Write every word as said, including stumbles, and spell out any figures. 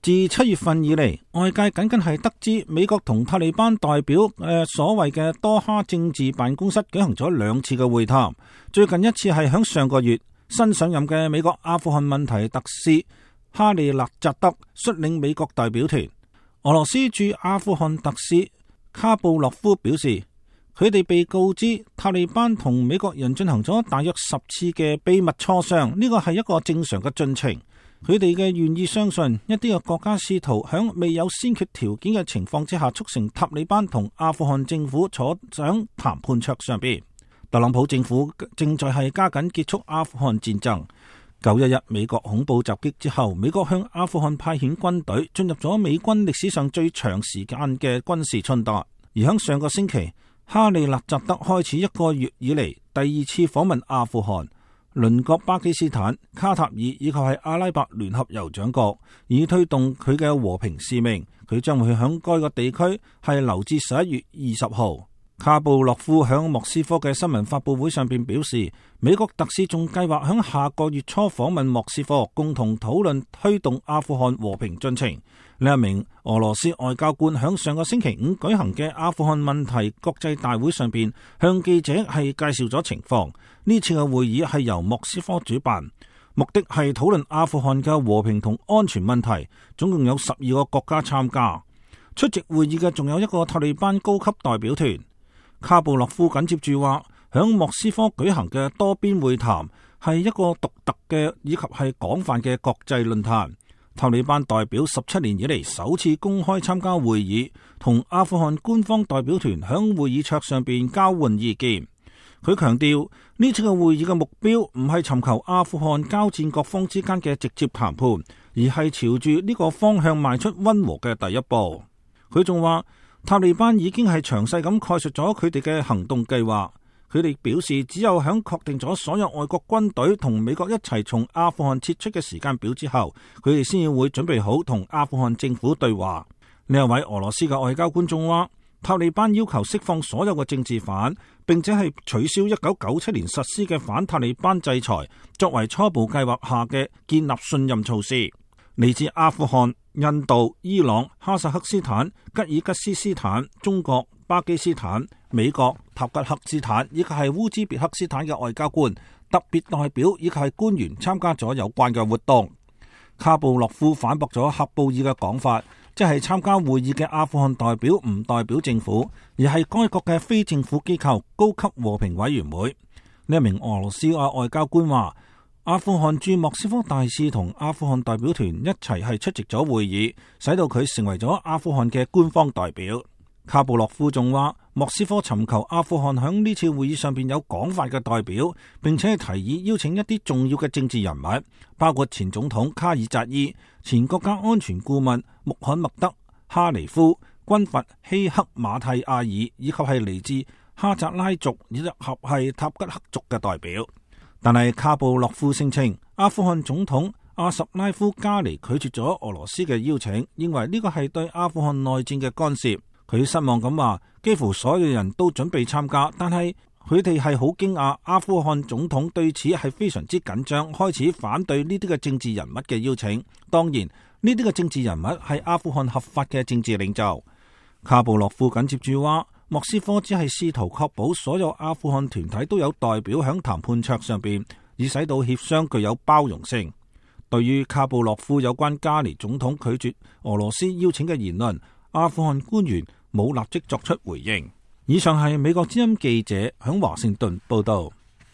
自七月份以嚟，外界僅僅係得知美國同塔利班代表誒、呃、所謂嘅多哈政治辦公室舉行咗兩次嘅會談。最近一次係響上個月，新上任嘅美國阿富汗問題特使哈利勒扎德率領美國代表團。俄羅斯駐阿富汗特使卡布洛夫表示，佢哋被告知塔利班同美國人進行咗大約十次嘅秘密磋商，呢個係一個正常嘅進程。佢哋嘅願意相信一啲嘅國家試圖響未有先決條件嘅情況之下，促成塔利班同阿富汗政府坐上談判桌上邊。特朗普政府正在係加緊結束阿富汗戰爭。九一一美國恐怖襲擊之後，美國向阿富汗派遣軍隊，進入咗美軍歷史上最長時間嘅軍事衝突。而響上個星期，哈利勒扎德開始一個月以嚟第二次訪問阿富汗。鄰國巴基斯坦、卡塔爾以及係阿拉伯聯合酋長國，以推動佢嘅和平使命。佢將會響該個地區係留至十一月二十號。卡布洛夫響莫斯科嘅新聞發佈會上邊表示，美國特使仲計劃響下個月初訪問莫斯科，共同討論推動阿富汗和平進程。另一名俄羅斯外交官響上個星期五舉行嘅阿富汗問題國際大會上邊，向記者係介紹咗情況。呢次嘅會議係由莫斯科主辦，目的係討論阿富汗嘅和平同安全問題。總共有十二個國家參加。出席會議嘅仲有一個塔利班高級代表團。卡布洛夫緊接住話，響莫斯科舉行嘅多邊會談係一個獨特嘅以及係廣泛嘅國際論壇。塔利班代表十七年以嚟首次公開參加會議，同阿富汗官方代表團響會議桌上邊交換意見。佢強調呢次嘅會議嘅目標唔係尋求阿富汗交戰各方之間嘅直接談判，而係朝住呢個方向邁出溫和嘅第一步。佢仲話，塔利班已經係詳細咁概述咗佢哋嘅行動計劃。佢哋表示，只有響確定咗所有外國軍隊同美國一齊從阿富汗撤出嘅時間表之後，佢哋先至會準備好同阿富汗政府對話。呢一位俄羅斯嘅外交官仲話，塔利班要求釋放所有嘅政治犯，並且係取消一九九七年實施嘅反塔利班制裁，作為初步計劃下嘅建立信任措施。嚟自阿富汗、印度、伊朗、哈薩克斯坦、吉爾吉斯斯坦、中國、巴基斯坦、美國、塔吉克斯坦以及係烏茲別克斯坦嘅外交官、特別代表以及係官員參加咗有關嘅活動。卡布洛夫反駁咗喀布爾嘅講法，即係參加會議嘅阿富汗代表唔代表政府，而係該國嘅非政府機構高級和平委員會。呢一名俄羅斯嘅外交官話，阿富汗駐莫斯科大使同阿富汗代表團一齊係出席咗會議，使到佢成為咗阿富汗嘅官方代表。卡布洛夫仲話，莫斯科尋求阿富汗響呢次會議上邊有廣泛嘅代表，並且係提議邀請一啲重要嘅政治人物，包括前總統卡爾扎伊、前國家安全顧問穆罕默德哈尼夫、軍閥希克馬蒂亞爾，以及係嚟自哈扎拉族以及係塔吉克族嘅代表。但係卡布洛夫聲稱，阿富汗總統阿什拉夫加尼拒絕咗俄羅斯嘅邀請，認為呢個係對阿富汗內戰嘅干涉。佢失望咁話，幾乎所有人都準備參加，但係佢哋係好驚訝，阿富汗總統對此係非常之緊張，開始反對呢啲嘅政治人物嘅邀請。當然，呢啲嘅政治人物係阿富汗合法嘅政治領袖。卡布洛夫緊接住話，莫斯科只係試圖確保所有阿富汗團體都有代表響談判桌上邊，以使到協商具有包容性。對於卡布洛夫有關加尼總統拒絕俄羅斯邀請嘅言論，阿富汗官員冇立即作出回應。以上係美國之音記者響華盛頓報道。